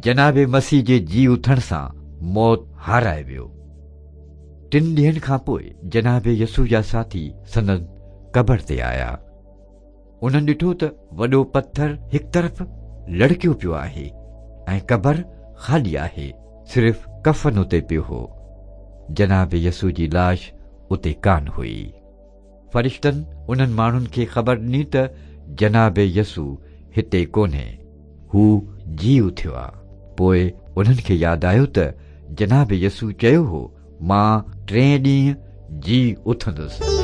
جناب مسيح جي جي اٿڻ سان موت هارائي ويو. ٽن ڏينهن کان پوء جناب يسوع جا ساٿي سندن قبر تي آيا. انهن ڏٺو ته وڏو پٿر هڪ طرف لڙڪيو پيو آهي ۽ قبر خالي آهي، صرف ڪفن اتي پيو هو. جناب يسوع جي لاش اتي ڪانه هئي. فرشتن انهن ماڻهن کي خبر ڏني ته جناب يسوع هتي ڪونهي، هو جي اٿيو آ. پوء انهن کي ياد آيو ته جناب يسوع چيو هو، مان ٽئين ڏينهن جي اٿندس.